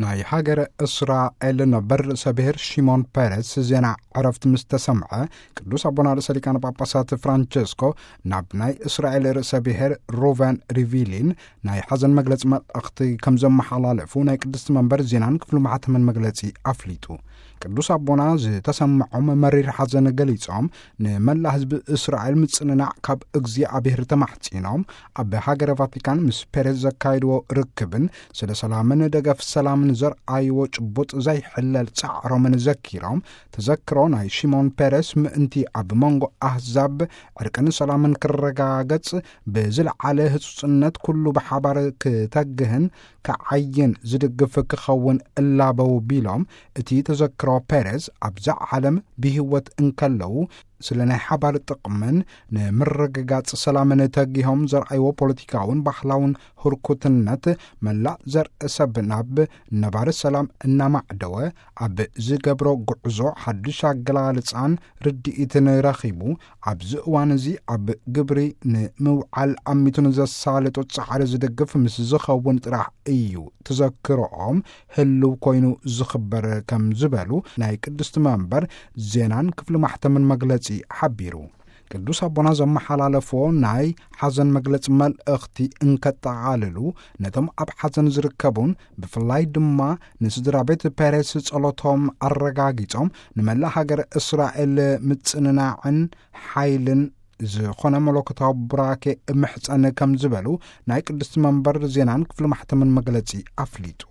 ናይ ሃገረ እስራኤል ነበር ርእሰ ብሔር ሽሞን ፐረስ ዜና ዕረፍት ምስ ተሰምዐ፣ ቅዱስ ኣቦና ርእሰ ሊቃነ ጳጳሳት ፍራንቸስኮ ናብ ናይ እስራኤል ርእሰ ብሔር ሩቨን ሪቪሊን ናይ ሓዘን መግለጺ መልእኽቲ ከም ዘመሓላለፉ ናይ ቅድስቲ መንበር ዜናን ክፍሉ ማሕተምን መግለጺ ኣፍሊጡ። ቅዱስ ኣቦና ዝተሰምዖም መሪር ሓዘን ገሊጾም፣ ንመላ ህዝቢ እስራኤል ምጽንናዕ ካብ እግዚኣብሔር ተማሕጺኖም፣ ኣብ ሃገረ ቫቲካን ምስ ፔሬዝ ዘካየድዎ ርክብን ስለ ሰላምን ደገፍ ሰላምን ዘርኣይዎ ጭቡጥ ዘይሕለል ጻዕሮምን ዘኪሮም፣ ተዘክሮ ናይ ሽሞን ፔሬስ ምእንቲ ኣብ መንጎ ኣህዛብ ዕርቅን ሰላምን ክረጋገጽ ብዝለዓለ ህጹጽነት ኩሉ ብሓባር ክተግህን ክዓይን ዝድግፍ ክኸውን እላበው ቢሎም፣ እቲ ተዘክሮ ፔሬዝ ኣብዛ ዓለም ብህይወት እንከለዉ ስለ ናይ ሓባር ጥቕምን ንምርግጋጽ ሰላምን ተጊሆም ዘርኣይዎ ፖለቲካውን ባህላውን ህርኩትነት፣ መላእ ዘርኢ ሰብ ናብ ነባሪ ሰላም እናማዕደወ ኣብ ዝገብሮ ጉዕዞ ሓድሽ ኣገላልጻን ርድኢትን ረኺቡ፣ ኣብዚ እዋን እዚ ኣብ ግብሪ ንምውዓል ኣሚቱ ንዘሳለጦ ጻዕሪ ዝድግፍ ምስ ዝኸውን ጥራሕ እዩ ተዘክሮኦም ህልው ኮይኑ ዝኽበር ከም ዝበሉ ናይ ቅድስቲ መንበር ዜናን ክፍሊ ማሕተምን መግለጺ ሓቢሩ። ቅዱስ ኣቦና ዘመሓላለፍዎ ናይ ሓዘን መግለጺ መልእኽቲ እንከጠቓልሉ፣ ነቶም ኣብ ሓዘን ዝርከቡን ብፍላይ ድማ ንስድራ ቤት ፔሬስ ጸሎቶም ኣረጋጊጾም፣ ንመላእ ሃገር እስራኤል ምጽንናዕን ሓይልን ዝኾነ መለኮታዊ ቡራኬ እምሕጸን ከም ዝበሉ ናይ ቅድስቲ መንበር ዜናን ክፍሊ ማሕተምን መግለጺ ኣፍሊጡ።